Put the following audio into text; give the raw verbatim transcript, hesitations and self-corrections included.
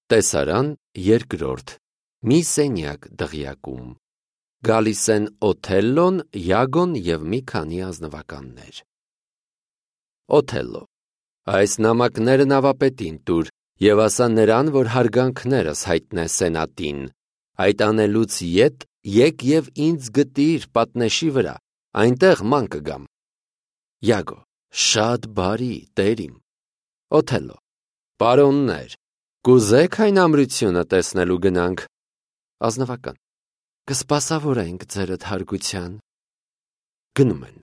Տեսարան երկրորդ. մի սենյակ դղյակում։ Գալիս են Օթելլոն, Յագոն և մի քանի ազնվականներ։ Օթելլո. Այս նամակները նավապետին տուր և ասա նրան, որ հարգանքներս հայտնե սենատին։ Այդ անելուց ետ եկ և ինձ գտիր պատնեշի վրա, այնտեղ ման կգամ։ Յագո. Շատ բարի, տեր իմ։ Օթելլո. Պարոններ, կուզե՞ք այն ամրությունը տեսնելու գնանք։ Ազնվական. Կսպասավորենք ձերդ հարգության։ Գնում են։